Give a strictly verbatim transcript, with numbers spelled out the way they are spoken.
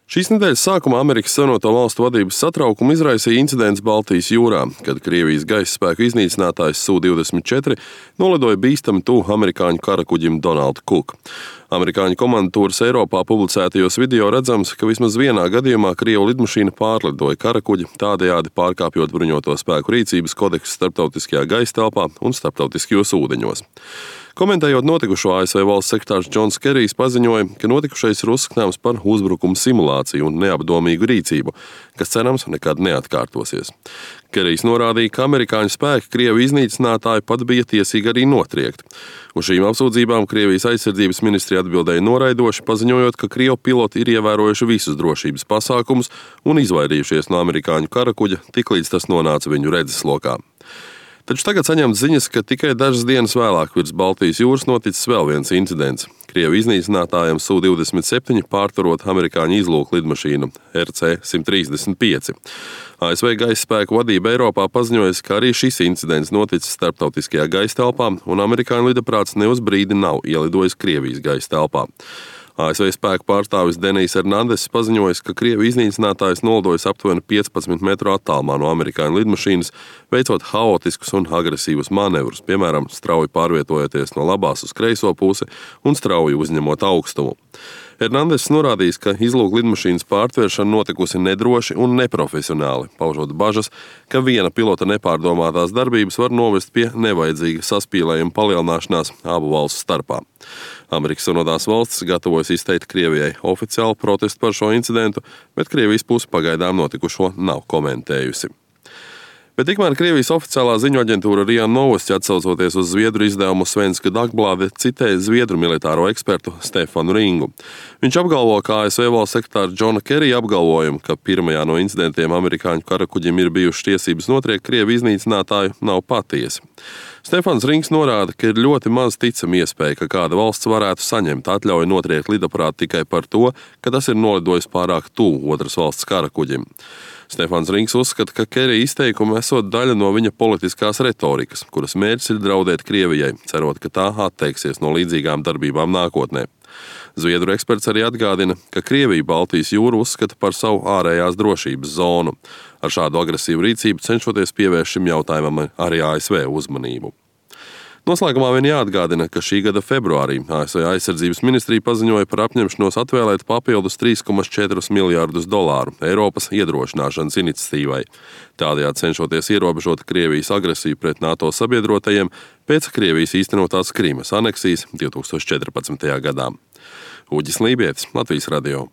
Šīs nedēļas sākumā Amerikas Savienoto Valstu vadības satraukumu izraisīja incidents Baltijas jūrā, kad Krievijas gaisa spēku iznīcinātājs S U divdesmit četri nolidoja bīstami tuvu amerikāņu karakuģim Donald Cook. Amerikāņu komandantūras Eiropā publicētajos video redzams, ka vismaz vienā gadījumā Krievu lidmašīna pārlidoja karakuģi, tādējādi pārkāpjot bruņoto spēku rīcības kodeksu starptautiskajā gaisa telpā un starptautiskajos ūdeņos. Komentējot notikušo, A S V valsts sekretārs Džons Kerijs paziņoja, ka notikušais ir uzskatāms par uzbrukumu simulāciju un neapdomīgu rīcību, kas cerams nekad neatkārtosies. Kerijs norādīja, ka amerikāņu spēki Krievu iznīcinātāji pat bija tiesīgi arī notriekt. Uz šīm apsūdzībām Krievijas aizsardzības ministrija atbildēja noraidoši, paziņojot, ka Krievu piloti ir ievērojuši visus drošības pasākumus un izvairījušies no amerikāņu karakuģa, tiklīdz tas nonāca viņu redzeslokā. Taču tagad saņemts ziņas, ka tikai dažas dienas vēlāk virs Baltijas jūras noticis vēl viens incidents. Krievu iznīcinātājiem S U divdesmit septiņi pārturot amerikāņu izlūku lidmašīnu R C simt trīsdesmit pieci. A S V gaisa spēku vadība Eiropā paziņojusi, ka arī šis incidents noticis starptautiskajā gaisa telpā, un amerikāņu lidaprāts ne uz brīdi nav ielidojis Krievijas gaisa telpā. A S V spēku pārstāvis Denijs Hernandess paziņojis, ka Krievu iznīcinātājs nolidojas aptuveni piecpadsmit metru attālumā no amerikāņu lidmašīnas, veicot haotiskus un agresīvus manevrus, piemēram, strauji pārvietojoties no labās uz kreiso pusi un strauji uzņemot augstumu. Hernandess norādījis, ka izlūku lidmašīnas pārtvēršana notikusi nedroši un neprofesionāli, paužot bažas, ka viena pilota nepārdomātās darbības var novest pie nevajadzīga saspīlējuma palielināšanās abu valstu starpā. Amerikas Savienotās valstis gatavojas izteikt Krievijai oficiālu protestu par šo incidentu, bet Krievijas puse pagaidām notikušo nav komentējusi. Bet tikmēr Krievijas oficiālā ziņu aģentūra RIA Novosti, atsaucoties uz zviedru izdevumu Svenska Dagblāde, citēja zviedru militāro ekspertu Stefanu Ringu. Viņš apgalvo, ka A S V valsts sekretāra Džona Kerija apgalvojumu, ka pirmajā no incidentiem amerikāņu karakuģim ir bijušas tiesības notriekt Krievu iznīcinātāju, nav patiesi. Stefans Rings norāda, ka ir ļoti maz ticama iespēja, ka kāda valsts varētu saņemt atļauju notriekt lidaprātu tikai par to, ka tas ir nolidojis pārāk tuvu otras valsts karakuģim. Stefans Rings uzskata, ka Kerija izteikumi esot daļa no viņa politiskās retorikas, kuras mērķis ir draudēt Krievijai, cerot, ka tā atteiksies no līdzīgām darbībām nākotnē. Zviedru eksperts arī atgādina, ka Krievija Baltijas jūru uzskata par savu ārējās drošības zonu. Ar šādu agresīvu rīcību cenšoties pievērst šim jautājumam arī A S V uzmanību. Noslēgumā vien jāatgādina, ka šī gada februārī A S V aizsardzības ministrija paziņoja par apņemšanos atvēlēt papildus trīs komats četri miljārdus dolāru Eiropas iedrošināšanas iniciatīvai, tādējādi cenšoties ierobežot Krievijas agresiju pret NATO sabiedrotajiem pēc Krievijas īstenotās Krimas aneksijas divtūkstoš četrpadsmitajā gadā. Uģis Lībietis, Latvijas radio.